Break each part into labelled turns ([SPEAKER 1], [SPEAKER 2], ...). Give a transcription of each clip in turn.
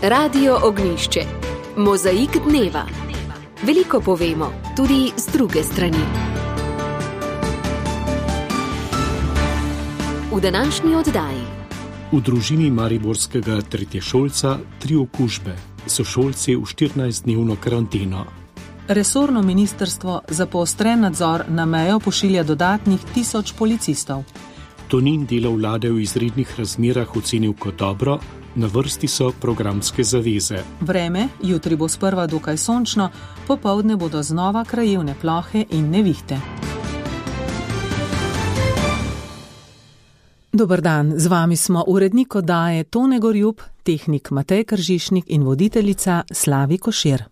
[SPEAKER 1] Radio Ognjišče. Mozaik dneva. Veliko povemo, tudi z druge strani. V današnji oddaji.
[SPEAKER 2] V družini mariborskega tretješolca 3 okužbe, sošolci v 14-dnevno karanteno.
[SPEAKER 3] Resorno ministrstvo za poostren nadzor na mejo pošilja dodatnih 1000 policistov.
[SPEAKER 2] Tonin delo vlade v izrednih razmerah ocenil kot dobro, na vrsti so programske zaveze.
[SPEAKER 3] Vreme, jutri bo sprva dokaj sončno, popoldne bodo znova krajevne plohe in nevihte. Dober dan, z vami smo urednik oddaje Tone Gorjup, tehnik Matej Kržišnik in voditeljica Slavi Košir.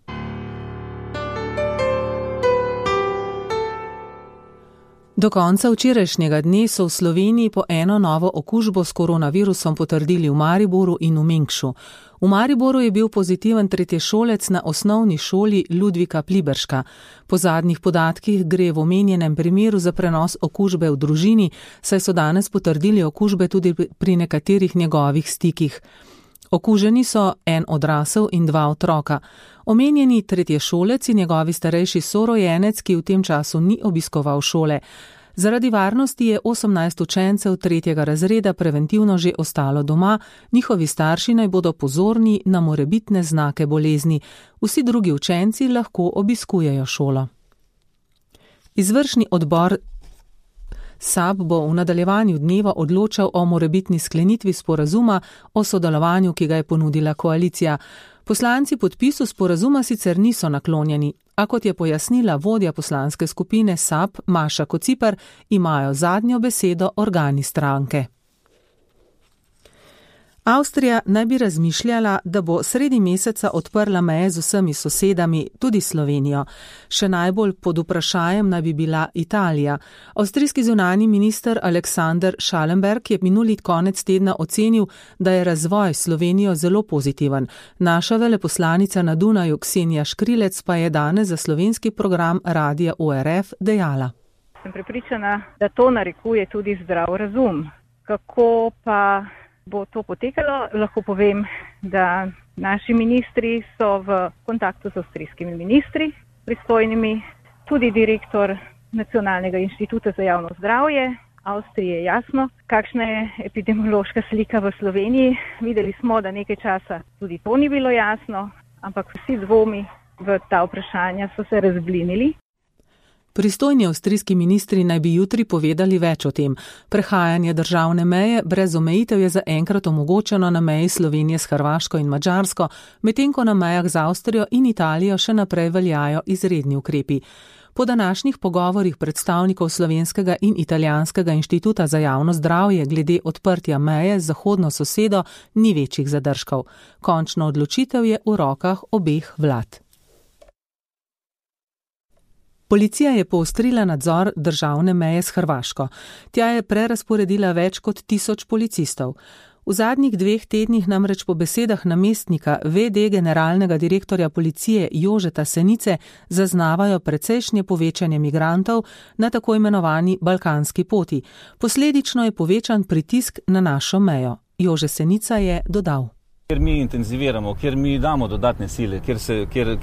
[SPEAKER 3] Do konca včerajšnjega dne so v Sloveniji po eno novo okužbo s koronavirusom potrdili v Mariboru in v Mengšu. V Mariboru je bil pozitiven tretješolec na osnovni šoli Ludvika Pliberška. Po zadnjih podatkih gre v omenjenem primeru za prenos okužbe v družini, saj so danes potrdili okužbe tudi pri nekaterih njegovih stikih. Okuženi so en odrasel in 2 otroka. Omenjeni tretješolec in njegovi starejši sorojenec, ki v tem času ni obiskoval šole. Zaradi varnosti je 18 učencev 3. razreda preventivno že ostalo doma, njihovi starši naj bodo pozorni na morebitne znake bolezni. Vsi drugi učenci lahko obiskujejo šolo. Izvršni odbor SAB bo v nadaljevanju dneva odločal o morebitni sklenitvi sporazuma o sodelovanju, ki ga je ponudila koalicija. Poslanci podpisu sporazuma sicer niso naklonjeni, a kot je pojasnila vodja poslanske skupine SAB Maša Kociper, imajo zadnjo besedo organi stranke. Avstrija naj bi razmišljala, da bo sredi meseca odprla meje z vsemi sosedami, tudi Slovenijo. Še najbolj pod vprašajem naj bi bila Italija. Avstrijski zunanji minister Alexander Schallenberg je minuli konec tedna ocenil, da je razvoj Slovenijo zelo pozitiven. Naša veleposlanica na Dunaju Ksenija Škrilec pa je danes za slovenski program Radia ORF dejala.
[SPEAKER 4] Sem prepričana, da to narekuje tudi zdrav razum. Kako pa bo to potekalo? Lahko povem, da naši ministri so v kontaktu z avstrijskimi ministri, pristojnimi, tudi direktor Nacionalnega inštituta za javno zdravje. Avstriji je jasno, kakšna je epidemiološka slika v Sloveniji. Videli smo, da nekaj časa tudi to ni bilo jasno, ampak vsi dvomi v ta vprašanja so se razblinili.
[SPEAKER 3] Pristojni avstrijski ministri naj bi jutri povedali več o tem. Prehajanje državne meje brez omejitev je zaenkrat omogočeno na meji Slovenije s Hrvaško in Madžarsko, medtem ko na mejah z Avstrijo in Italijo še naprej veljajo izredni ukrepi. Po današnjih pogovorih predstavnikov Slovenskega in Italijanskega inštituta za javno zdravje glede odprtja meje z zahodno sosedo ni večjih zadržkov. Končna odločitev je v rokah obeh vlad. Policija je poostrila nadzor državne meje s Hrvaško. Tja je prerazporedila več kot 1000 policistov. V zadnjih 2 tednih namreč po besedah namestnika VD generalnega direktorja policije Jožeta Senice zaznavajo precejšnje povečanje migrantov na tako imenovani balkanski poti. Posledično je povečan pritisk na našo mejo. Jože Senica je dodal.
[SPEAKER 5] Ker mi intenziviramo, ker mi damo dodatne sile,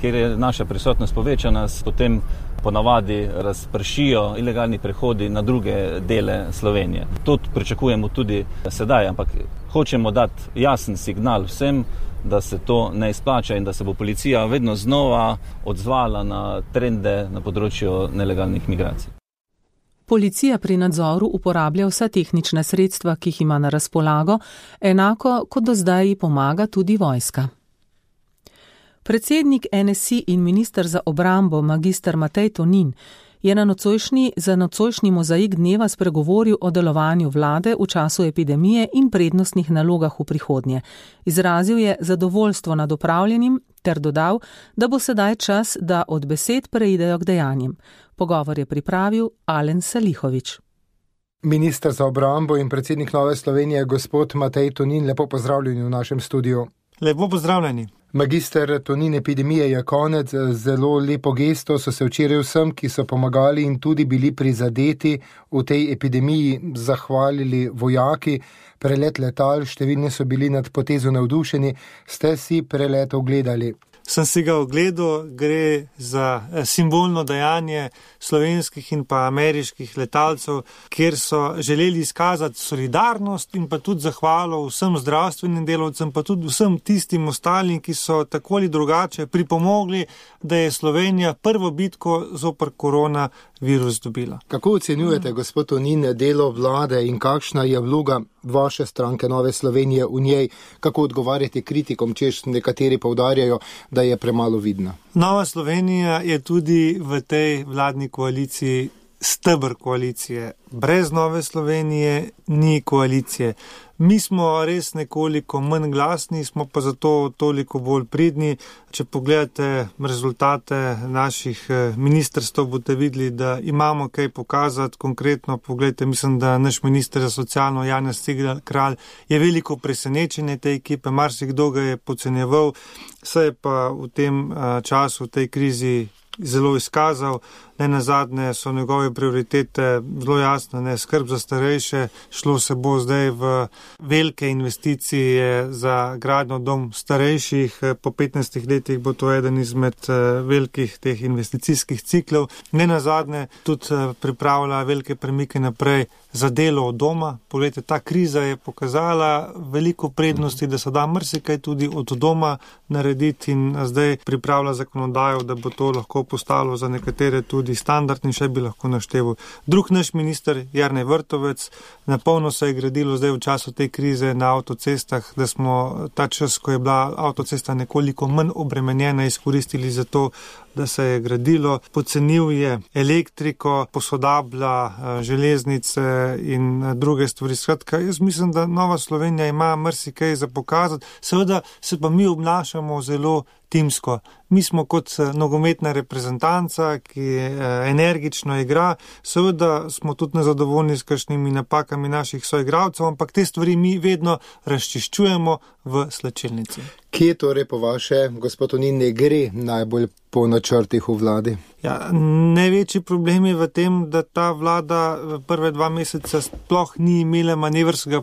[SPEAKER 5] ker je naša prisotnost povečana, potem ponavadi razpršijo ilegalni prehodi na druge dele Slovenije. To pričakujemo tudi sedaj, ampak hočemo dati jasen signal vsem, da se to ne izplača in da se bo policija vedno znova odzvala na trende na področju nelegalnih migracij.
[SPEAKER 3] Policija pri nadzoru uporablja vsa tehnična sredstva, ki jih ima na razpolago, enako kot do zdaj ji pomaga tudi vojska. Predsednik NSI in minister za obrambo magister Matej Tonin je za nocojšnji mozaik dneva spregovoril o delovanju vlade v času epidemije in prednostnih nalogah v prihodnje. Izrazil je zadovoljstvo nad opravljenim ter dodal, da bo sedaj čas, da od besed preidejo k dejanjem. Pogovor je pripravil Alen Salihovič.
[SPEAKER 6] Minister za obrambo in predsednik Nove Slovenije, gospod Matej Tonin, lepo pozdravljeni v našem studiu.
[SPEAKER 7] Lepo pozdravljeni.
[SPEAKER 6] Magister Tonin, epidemije je konec, zelo lepo gesto so se včeraj vsem, ki so pomagali in tudi bili prizadeti v tej epidemiji, zahvalili vojaki. Prelet letal, številni so bili nad potezo navdušeni. Ste si prelet ogledali?
[SPEAKER 7] Sem si ga ogledal, gre za simbolno dejanje slovenskih in pa ameriških letalcev, kjer so želeli izkazati solidarnost in pa tudi zahvalo vsem zdravstvenim delavcem, pa tudi vsem tistim ostalim, ki so tako ali drugače pripomogli, da je Slovenija prvo bitko zoper koronavirus dobila.
[SPEAKER 6] Kako ocenjujete, gospod Tonin, delo vlade in kakšna je vloga vaše stranke Nove Slovenije v njej? Kako odgovarjate kritikom, češ nekateri poudarjajo, da je premalo vidna?
[SPEAKER 7] Nova Slovenija je tudi v tej vladni koaliciji steber koalicije. Brez Nove Slovenije ni koalicije. Mi smo res nekoliko manj glasni, smo pa zato toliko bolj pridni. Če pogledate rezultate naših ministrstv, boste videli, da imamo kaj pokazati. Konkretno pogledajte, mislim, da naš minister za socialno Janez Cigler Kralj je veliko presenečenje te ekipe, marsikdo ga je podcenjeval, se je pa v tem času, v tej krizi zelo izkazal. Nenazadnje so njegove prioritete zelo jasne, skrb za starejše, šlo se bo zdaj v velike investicije za gradnjo dom starejših, po 15 letih bo to eden izmed velikih teh investicijskih ciklov. Nenazadnje tudi pripravlja velike premike naprej za delo od doma. Poglejte, ta kriza je pokazala veliko prednosti, da se da marsikaj tudi od doma narediti in zdaj pripravlja zakonodajo, da bo to lahko postalo za nekatere tudi standard in še bi lahko našteval. Drug naš minister, Jernej Vrtovec, napolno se je gradilo zdaj v času te krize na avtocestah, da smo ta čas, ko je bila avtocesta nekoliko manj obremenjena, izkoristili za to, da se je gradilo. Pocenil je elektriko, posodablja železnice in druge stvari. Skratka, jaz mislim, da Nova Slovenija ima marsikaj za pokazati. Seveda se pa mi obnašamo zelo timsko. Mi smo kot nogometna reprezentanca, ki energično igra. Seveda smo tudi nezadovoljni s kakšnimi napakami naših soigralcev, ampak te stvari mi vedno razčiščujemo v slačilnici.
[SPEAKER 6] Kje torej po vaše, gospod Tonin, ne gre najbolj po načrtih v vladi?
[SPEAKER 7] Ja, največji problem je v tem, da ta vlada prve 2 meseca sploh ni imela manevrskega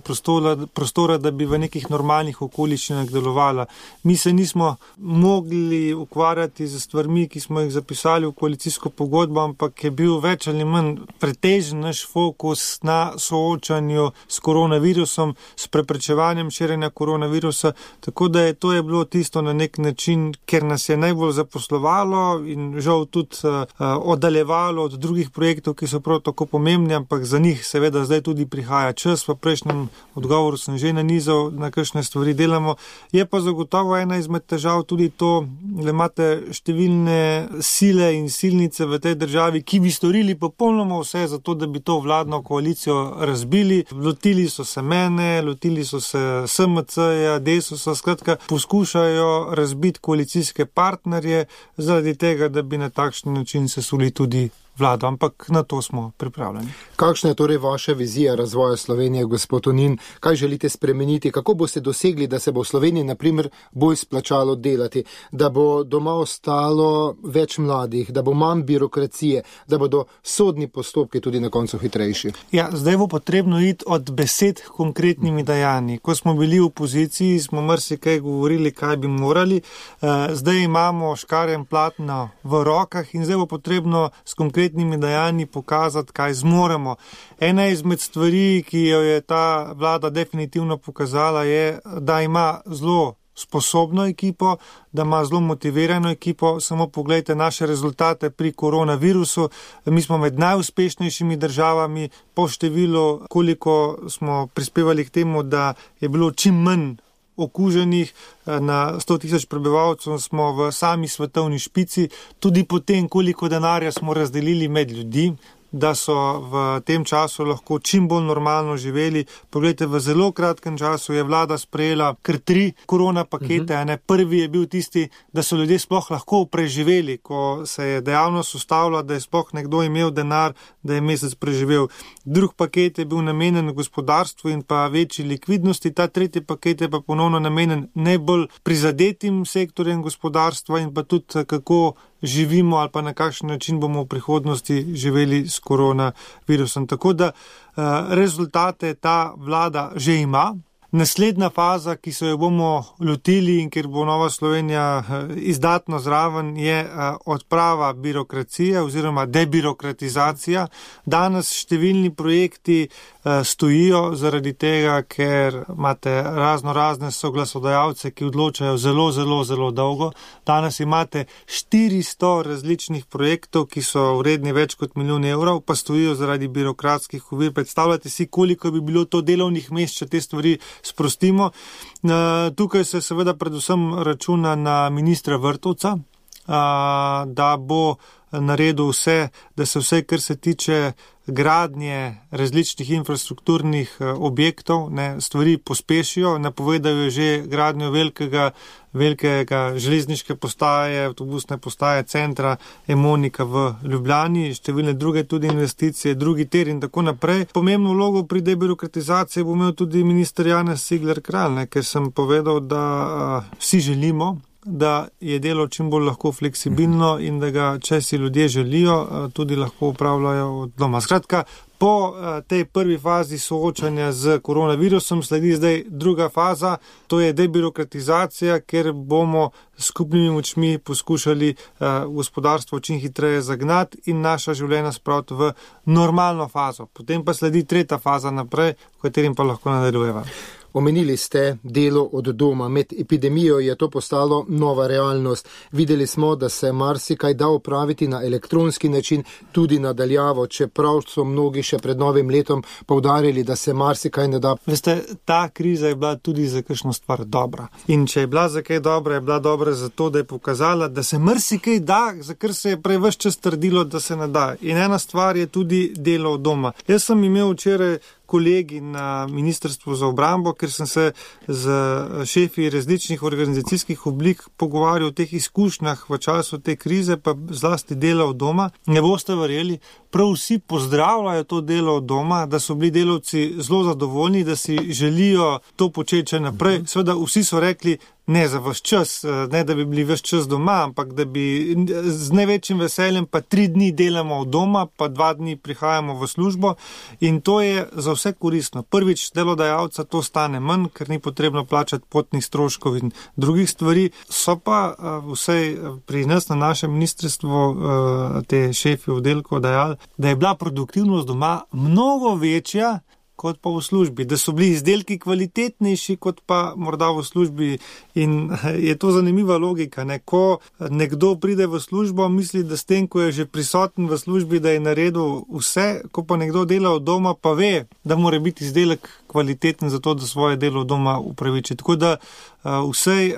[SPEAKER 7] prostora, da bi v nekih normalnih okoliščinah delovala. Mi se nismo mogli ukvarjati z stvarmi, ki smo jih zapisali v koalicijsko pogodbo, ampak je bil več ali manj pretežen naš fokus na soočanju s koronavirusom, s preprečevanjem širjenja koronavirusa, tako da to je bilo tisto na nek način, ker nas je najbolj zaposlovalo in žal tudi oddaljevalo od drugih projektov, ki so prav tako pomembni, ampak za njih seveda zdaj tudi prihaja čas. V prejšnjem odgovoru sem že nanizal, na kakšne stvari delamo. Je pa zagotovo ena izmed težav tudi to, da imate številne sile in silnice v tej državi, ki bi storili popolnoma vse za to, da bi to vladno koalicijo razbili. Lotili so se mene, lotili so se SMC-ja, Desusa, skratka, poskušajo razbiti koalicijske partnerje zaradi tega, da bi na takšen način sesuli tudi vlado, ampak na to smo pripravljeni.
[SPEAKER 6] Kakšna je torej vaša vizija razvoja Slovenije, gospod Tonin? Kaj želite spremeniti? Kako boste dosegli, da se bo v Sloveniji, na primer, bolj splačalo delati, da bo doma ostalo več mladih, da bo manj birokracije, da bodo sodni postopki tudi na koncu hitrejši?
[SPEAKER 7] Ja, zdaj bo potrebno iti od besed k konkretnimi dejanji. Ko smo bili v opoziciji, smo marsikaj govorili, kaj bi morali. Zdaj imamo škarje in platno v rokah in zdaj bo potrebno s konkretnimi dejanji pokazati, kaj zmoremo. Ena izmed stvari, ki jo je ta vlada definitivno pokazala, je, da ima zelo sposobno ekipo, da ima zelo motivirano ekipo. Samo pogledajte naše rezultate pri koronavirusu. Mi smo med najuspešnejšimi državami po številu, koliko smo prispevali k temu, da je bilo čim manj okuženih na 100.000 prebivalcev, smo v sami svetovni špici. Tudi potem, koliko denarja smo razdelili med ljudi, da so v tem času lahko čim bolj normalno živeli. Poglejte, v zelo kratkem času je vlada sprejela kar 3 korona pakete. Prvi je bil tisti, da so ljudje sploh lahko preživeli, ko se je dejavnost ustavila, da je sploh nekdo imel denar, da je mesec preživel. Drug paket je bil namenjen gospodarstvu in pa večji likvidnosti. Ta tretji paket je pa ponovno namenjen najbolj prizadetim sektorjem gospodarstva in pa tudi kako živimo ali pa na kakšen način bomo v prihodnosti živeli s koronavirusom. Tako da rezultate ta vlada že ima. Naslednja faza, ki se jo bomo lotili in kjer bo Nova Slovenija izdatno zraven, je odprava birokracije oziroma debirokratizacija. Danes številni projekti stojijo zaradi tega, ker imate razne soglasodajalce, ki odločajo zelo dolgo. Danes imate 400 različnih projektov, ki so vredni več kot 1 milijon evrov, pa stojijo zaradi birokratskih ovir. Predstavljate si, koliko bi bilo to delovnih mest, če te stvari sprostimo. Tukaj se seveda predvsem računa na ministra Vrtovca, da bo naredil vse, da se vse, kar se tiče gradnje različnih infrastrukturnih objektov, stvari pospešijo. Napovedal je že gradnjo velikega železniške postaje, avtobusne postaje, centra Emonika v Ljubljani, številne druge tudi investicije, drugi tir in tako naprej. Pomembno vlogo pri debirokratizaciji bo imel tudi minister Janez Cigler Kralj, ker sem povedal, da vsi želimo, da je delo čim bolj lahko fleksibilno in da ga, če si ljudje želijo, tudi lahko upravljajo od doma. Skratka, po tej prvi fazi soočanja z koronavirusom sledi zdaj druga faza, to je debirokratizacija, ker bomo skupnimi močmi poskušali gospodarstvo čim hitreje zagnati in naša življenja spraviti v normalno fazo. Potem pa sledi tretja faza naprej, v katerim pa lahko nadaljujeva.
[SPEAKER 6] Omenili ste delo od doma. Med epidemijo je to postalo nova realnost. Videli smo, da se marsikaj da opraviti na elektronski način, tudi nadaljavo, čeprav so mnogi še pred novim letom poudarili, da se marsikaj ne da.
[SPEAKER 7] Veste, ta kriza je bila tudi za kakšno stvar dobra. In če je bila za kaj dobra, je bila dobra zato, da je pokazala, da se marsikaj da, za kar se je prej ves čas trdilo, da se ne da. In ena stvar je tudi delo od doma. Jaz sem imel včeraj kolegi na Ministrstvu za obrambo, ker sem se z šefi različnih organizacijskih oblik pogovarjal o teh izkušnjah v času te krize, pa zlasti dela od doma. Ne boste verjeli, prav vsi pozdravljajo to delo od doma, da so bili delavci zelo zadovoljni, da si želijo to početi naprej. Seveda vsi so rekli, ne za vaš čas, ne da bi bili vaš čas doma, ampak da bi z največjim veseljem pa 3 dni delamo od doma, pa 2 dni prihajamo v službo in to je za vse koristno. Prvič, delodajalca to stane manj, ker ni potrebno plačati potnih stroškov in drugih stvari. So pa vsej pri nas na našem ministrstvu te šefi oddelkov dejali, da je bila produktivnost doma mnogo večja kot pa v službi, da so bili izdelki kvalitetnejši kot pa morda v službi. In je to zanimiva logika, ne? Ko nekdo pride v službo, misli, da s tem, ko je že prisoten v službi, da je naredil vse, ko pa nekdo dela od doma, pa ve, da mora biti izdelek kvaliteten za to, da svoje delo od doma upraviči. Tako da vsej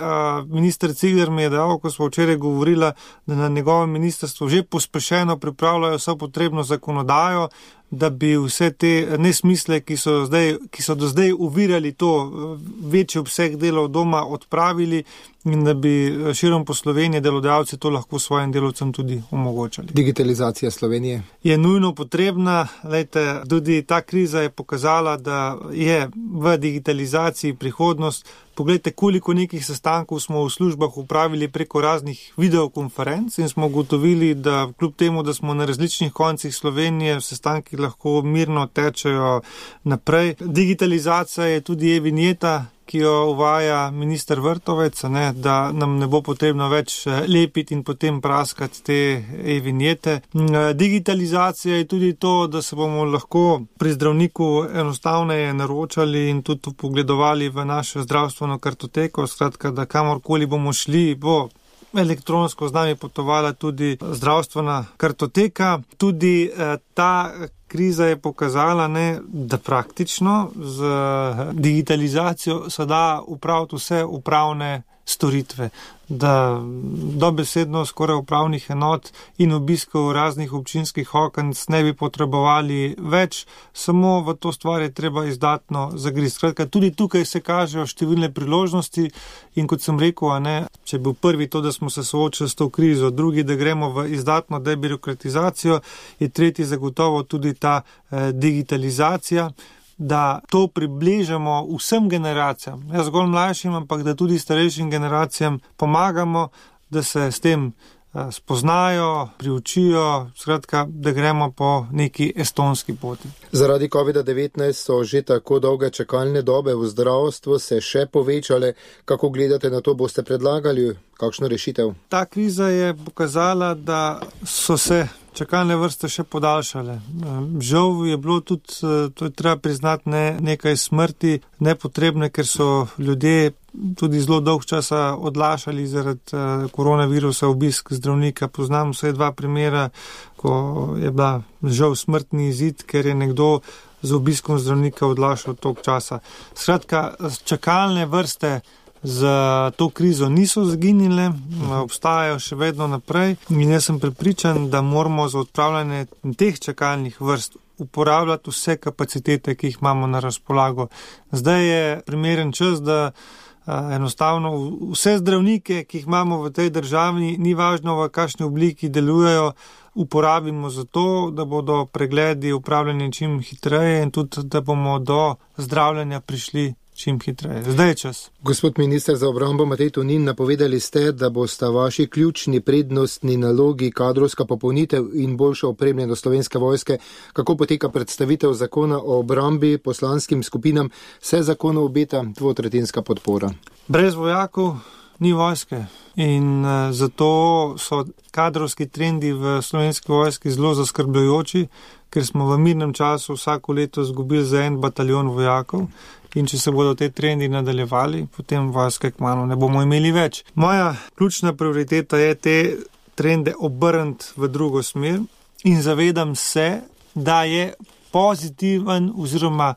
[SPEAKER 7] minister Cigler mi je dal, ko smo včeraj govorila, da na njegovem ministrstvu že pospešeno pripravljajo vso potrebno zakonodajo, da bi vse te nesmisle, ki so do zdaj uvirali to večji obseg dela od doma, odpravili in da bi širom po Sloveniji delodajalci to lahko svojim delavcem tudi omogočali.
[SPEAKER 6] Digitalizacija Slovenije
[SPEAKER 7] je nujno potrebna. Lejte, tudi ta kriza je pokazala, da je v digitalizaciji prihodnost. Poglejte, koliko nekih sestankov smo v službah upravili preko raznih videokonferenc in smo ugotovili, da kljub temu, da smo na različnih koncih Slovenije, sestanki lahko mirno tečejo naprej. Digitalizacija je tudi e-vinjeta, ki jo uvaja minister Vrtovec, da nam ne bo potrebno več lepiti in potem praskati te e-vinjete. Digitalizacija je tudi to, da se bomo lahko pri zdravniku enostavneje naročali in tudi pogledovali v našo zdravstveno kartoteko, skratka, da kamorkoli bomo šli, bo elektronsko z nami potovala tudi zdravstvena kartoteka. Tudi ta kriza je pokazala, da praktično z digitalizacijo se da upraviti vse upravne storitve, da dobesedno skoraj upravnih enot in obiskov raznih občinskih okenc ne bi potrebovali več, samo v to stvar je treba izdatno zagristi. Skratka, tudi tukaj se kažejo številne priložnosti in kot sem rekel, če je bil prvi to, da smo se soočili s to krizo, drugi, da gremo v izdatno debirokratizacijo, je tretji zagotovo tudi ta digitalizacija, da to približamo vsem generacijam, ne zgolj mlajšim, ampak da tudi starejšim generacijam pomagamo, da se s tem spoznajo, priučijo, skratka, da gremo po neki estonski poti.
[SPEAKER 6] Zaradi COVID-19 so že tako dolge čakalne dobe v zdravstvu se še povečale. Kako gledate na to, boste predlagali kakšno rešitev?
[SPEAKER 7] Ta kriza je pokazala, da so se čakalne vrste še podaljšale. Žal je bilo tudi, to je treba priznati, nekaj smrti nepotrebne, ker so ljudje tudi zelo dolg časa odlašali zaradi koronavirusa obisk zdravnika. Poznam vsaj 2 primera, ko je bila žal smrtni izid, ker je nekdo z obiskom zdravnika odlašal toliko časa. Skratka, čakalne vrste za to krizo niso zginile, obstajajo še vedno naprej in jaz sem prepričan, da moramo za odpravljanje teh čakalnih vrst uporabljati vse kapacitete, ki jih imamo na razpolago. Zdaj je primeren čas, da enostavno vse zdravnike, ki jih imamo v tej državi, ni važno v kakšni obliki delujejo, uporabimo za to, da bodo pregledi upravljeni čim hitreje in tudi, da bomo do zdravljenja prišli čim hitreje. Zdaj je čas.
[SPEAKER 6] Gospod minister za obrambo Matej Tonin, napovedali ste, da bosta vaši ključni prednostni nalogi kadrovska popolnitev in boljša opremljenost Slovenske vojske. Kako poteka predstavitev zakona o obrambi poslanskim skupinam? Se zakonu obeta 2/3 podpora?
[SPEAKER 7] Brez vojakov ni vojske in zato so kadrovski trendi v Slovenski vojski zelo zaskrbljujoči, ker smo v mirnem času vsako leto izgubili za 1 bataljon vojakov. In če se bodo te trendi nadaljevali, potem vojske kmalu ne bomo imeli več. Moja ključna prioriteta je te trende obrniti v drugo smer in zavedam se, da je pozitiven oziroma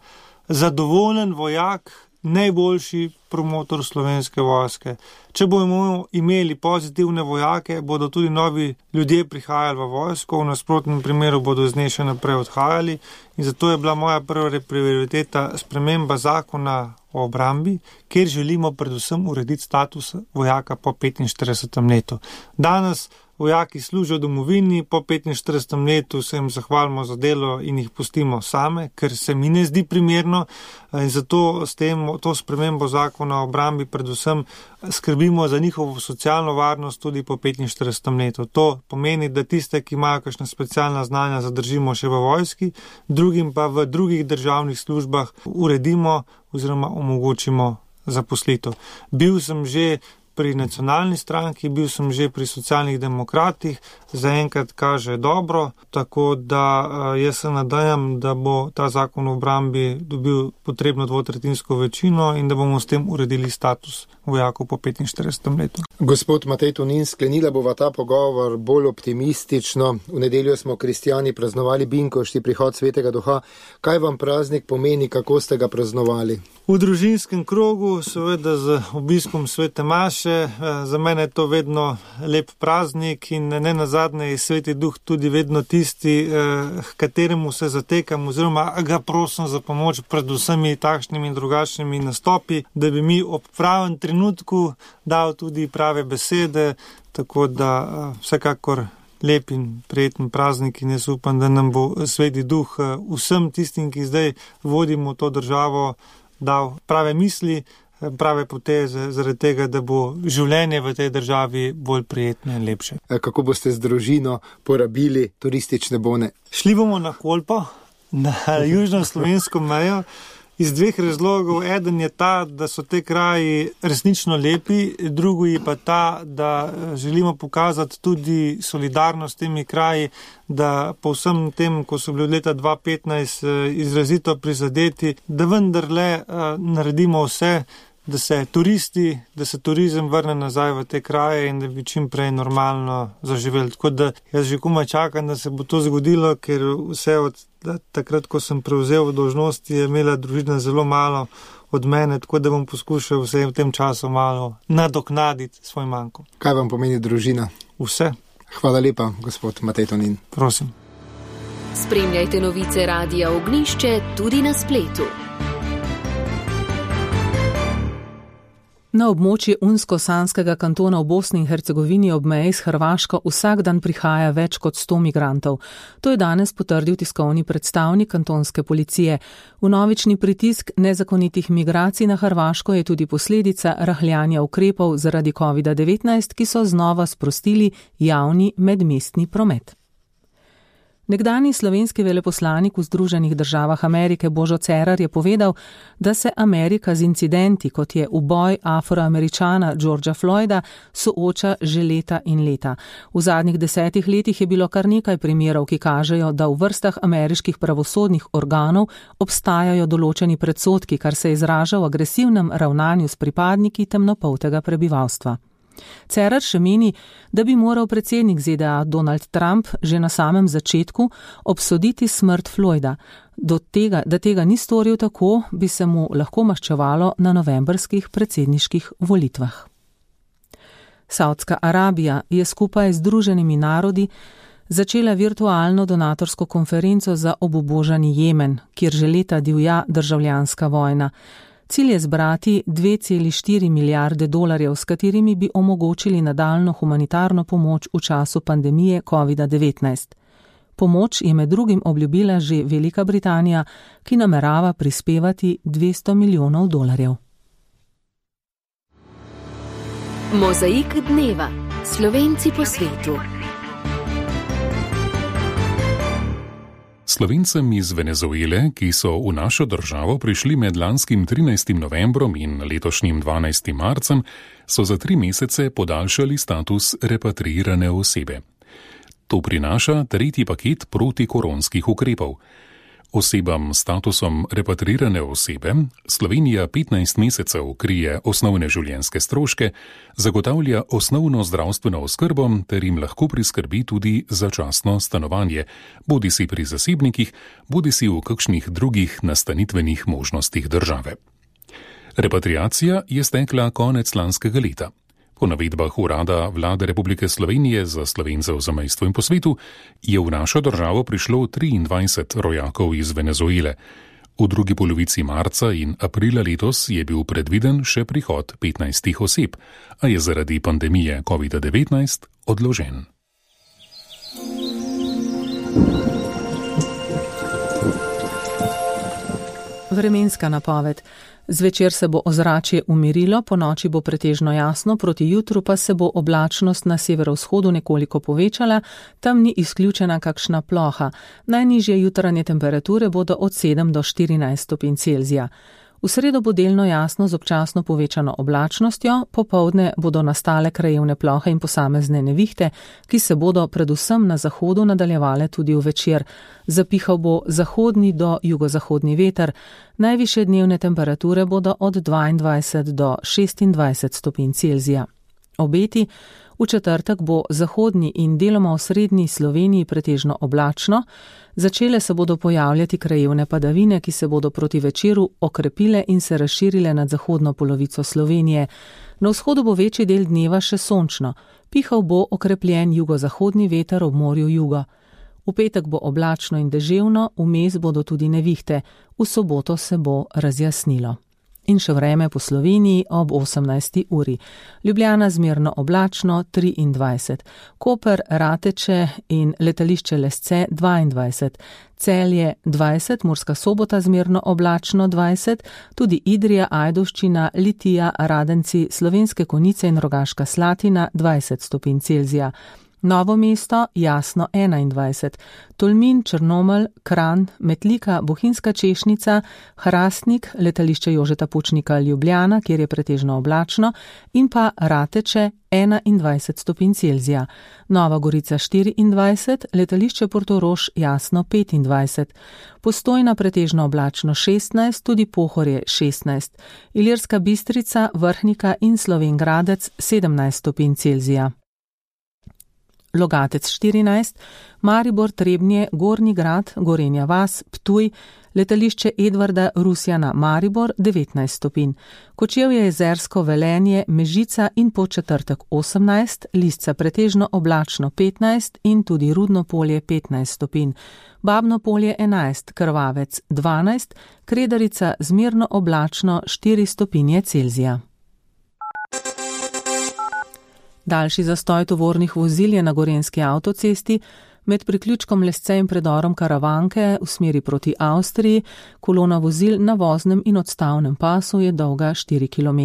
[SPEAKER 7] zadovoljen vojak najboljši promotor Slovenske vojske. Če bomo imeli pozitivne vojake, bodo tudi novi ljudje prihajali v vojsko, v nasprotnem primeru bodo z nje še naprej odhajali in zato je bila moja prva prioriteta sprememba zakona o obrambi, kjer želimo predvsem urediti status vojaka po 45. letu. Danes vojaki služijo domovini, po 45. letu se jim zahvalimo za delo in jih pustimo same, ker se mi ne zdi primerno in zato s tem, to spremembo zakona o obrambi predvsem skrbimo za njihovo socialno varnost tudi po 45. letu. To pomeni, da tiste, ki imajo kakšna specialna znanja, zadržimo še v vojski, drugim pa v drugih državnih službah uredimo oziroma omogočimo zaposlitev. Bil sem že pri nacionalni stranki, bil sem že pri socialnih demokratih, zaenkrat kaže dobro, tako da jaz se nadajam, da bo ta zakon o obrambi dobil potrebno 2/3 večino in da bomo s tem uredili status vojakov po 45. letu.
[SPEAKER 6] Gospod Matej Tonin, sklenila bova ta pogovor bolj optimistično. V nedeljo smo kristjani praznovali Binkošti, prihod Svetega Duha. Kaj vam praznik pomeni, kako ste ga praznovali?
[SPEAKER 7] V družinskem krogu, seveda z obiskom Svete maše. Za mene je to vedno lep praznik in ne nazadnje je Sveti Duh tudi vedno tisti, k kateremu se zatekam oziroma ga prosim za pomoč pred vsemi takšnimi in drugačnimi nastopi, da bi mi ob pravem trenutku dal tudi prave besede, tako da vsekakor lep in prijeten praznik in jaz upam, da nam bo Sveti Duh vsem tistim, ki zdaj vodimo to državo, dal prave misli, prave poteze, zaradi tega, da bo življenje v tej državi bolj prijetno in lepše.
[SPEAKER 6] Kako boste z družino porabili turistične bone?
[SPEAKER 7] Šli bomo na Kolpo, na južno slovensko mejo, iz 2 razlogov. Eden je ta, da so te kraji resnično lepi, drugo je pa ta, da želimo pokazati tudi solidarnost s temi kraji, da po vsem tem, ko so bili leta 2015 izrazito prizadeti, da vendarle naredimo vse, da se turizem vrne nazaj v te kraje in da bi čim prej normalno zaživeli. Tako da jaz že komaj čakam, da se bo to zgodilo, ker vse od takrat, ko sem prevzel dolžnosti, je imela družina zelo malo od mene, tako da bom poskušal vse v tem času malo nadoknaditi svoj manko.
[SPEAKER 6] Kaj vam pomeni družina?
[SPEAKER 7] Vse.
[SPEAKER 6] Hvala lepa, gospod Matej Tonin.
[SPEAKER 7] Prosim.
[SPEAKER 1] Spremljajte novice Radia Ognjišče tudi na spletu.
[SPEAKER 3] Na območje Unsko-Sanskega kantona v Bosni in Hercegovini ob meji s Hrvaško vsak dan prihaja več kot 100 migrantov. To je danes potrdil tiskovni predstavnik kantonske policije. Vnovični pritisk nezakonitih migracij na Hrvaško je tudi posledica rahljanja ukrepov zaradi COVID-19, ki so znova sprostili javni medmestni promet. Nekdanji slovenski veleposlanik v Združenih državah Amerike Božo Cerar je povedal, da se Amerika z incidenti, kot je uboj Afroameričana Georgea Floyda, sooča že leta in leta. V zadnjih 10 letih je bilo kar nekaj primerov, ki kažejo, da v vrstah ameriških pravosodnih organov obstajajo določeni predsodki, kar se izraža v agresivnem ravnanju s pripadniki temnopoltega prebivalstva. Cerar še meni, da bi moral predsednik ZDA Donald Trump že na samem začetku obsoditi smrt Floyda. Da tega ni storil tako, bi se mu lahko maščevalo na novembrskih predsedniških volitvah. Saudska Arabija je skupaj z Združenimi narodi začela virtualno donatorsko konferenco za obubožani Jemen, kjer že leta divja državljanska vojna. Cilj je zbrati 2,4 milijarde dolarjev, s katerimi bi omogočili nadaljno humanitarno pomoč v času pandemije COVID-19. Pomoč je med drugim obljubila že Velika Britanija, ki namerava prispevati 200 milijonov dolarjev.
[SPEAKER 1] Mozaik dneva. Slovenci po svetu.
[SPEAKER 8] Slovencem iz Venezuele, ki so v našo državo prišli med lanskim 13. novembrom in letošnjim 12. marcem, so za 3 mesece podaljšali status repatriirane osebe. To prinaša 3. paket protikoronskih ukrepov. Osebam s statusom repatriirane osebe Slovenija 15 mesecev krije osnovne življenjske stroške, zagotavlja osnovno zdravstveno oskrbo ter jim lahko priskrbi tudi začasno stanovanje, bodisi pri zasebnikih, bodisi v kakšnih drugih nastanitvenih možnostih države. Repatriacija je stekla konec lanskega leta. Po navedbah Urada Vlade Republike Slovenije za Slovence v zamejstvu in po svetu je v našo državo prišlo 23 rojakov iz Venezuele. V drugi polovici marca in aprila letos je bil predviden še prihod 15 oseb, a je zaradi pandemije COVID-19 odložen.
[SPEAKER 3] Vremenska napoved. Zvečer se bo ozračje umirilo, ponoči bo pretežno jasno, proti jutru pa se bo oblačnost na severovzhodu nekoliko povečala, tam ni izključena kakšna ploha. Najnižje jutranje temperature bodo od 7 do 14 stopinj Celzija. V sredo bo delno jasno z občasno povečano oblačnostjo, popoldne bodo nastale krajevne plohe in posamezne nevihte, ki se bodo predvsem na zahodu nadaljevale tudi v večer. Zapihal bo zahodni do jugozahodni veter, najvišje dnevne temperature bodo od 22 do 26 stopinj Celzija. Obeti. V četrtek bo zahodni in deloma v srednji Sloveniji pretežno oblačno, začele se bodo pojavljati krajevne padavine, ki se bodo proti večeru okrepile in se razširile nad zahodno polovico Slovenije. Na vzhodu bo večji del dneva še sončno, pihal bo okrepljen jugozahodni veter ob morju jugo. V petek bo oblačno in deževno, vmes bodo tudi nevihte, v soboto se bo razjasnilo. In še vreme po Sloveniji ob 18. uri. Ljubljana zmerno oblačno 23, Koper, Rateče in letališče Lesce 22, Celje 20, Murska Sobota zmerno oblačno 20, tudi Idrija, Ajdovščina, Litija, Radenci, Slovenske Konjice in Rogaška Slatina 20 stopinj Celzija. Novo mesto jasno 21, Tolmin, Črnomelj, Kranj, Metlika, Bohinjska Češnica, Hrastnik, letališče Jožeta Pučnika Ljubljana, kjer je pretežno oblačno, in pa Rateče 21 stopinj Celzija. Nova Gorica 24, letališče Portorož jasno 25, Postojna pretežno oblačno 16, tudi Pohorje 16, Ilirska Bistrica, Vrhnika in Slovenj Gradec 17 stopinj Celzija. Logatec 14, Maribor, Trebnje, Gornji Grad, Gorenja vas, Ptuj, letališče Edvarda Rusjana Maribor 19 stopinj, Kočevje, Jezersko, Velenje, Mežica in Podčetrtek 18, Lisca pretežno oblačno 15 in tudi Rudno Polje 15 stopinj, Babno Polje 11, Krvavec 12, Kredarica zmerno oblačno 4 stopinje Celzija. Daljši zastoj tovornih vozil je na gorenjski avtocesti, med priključkom Lesce in predorom Karavanke v smeri proti Avstriji, kolona vozil na voznem in odstavnem pasu je dolga 4 km.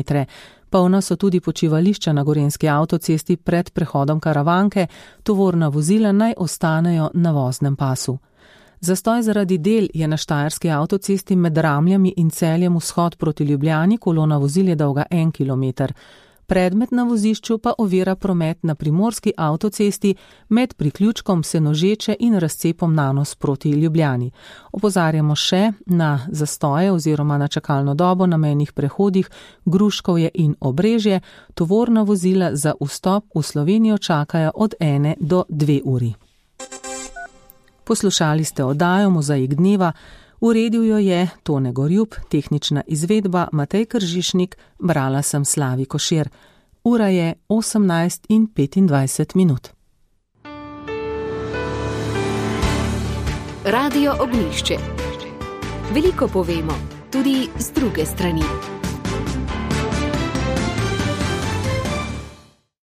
[SPEAKER 3] Polna so tudi počivališča na gorenjski avtocesti pred prehodom Karavanke, tovorna vozila naj ostanejo na voznem pasu. Zastoj zaradi del je na štajerski avtocesti med Ramljami in Celjem vzhod proti Ljubljani, kolona vozil je dolga 1 km. Predmet na vozišču pa ovira promet na primorski avtocesti med priključkom Senožeče in razcepom Nanos proti Ljubljani. Opozarjamo še na zastoje oziroma na čakalno dobo na mejnih prehodih Gruškovje in Obrežje. Tovorna vozila za vstop v Slovenijo čakajo od 1 do 2 uri. Poslušali ste oddajo Mozaik dneva. Uredil jo je Tone Gorjup, tehnična izvedba Matej Kržišnik, brala sem Slavi Košir. Ura je 18:25.
[SPEAKER 1] Radio Ognjišče. Veliko povemo, tudi z druge strani.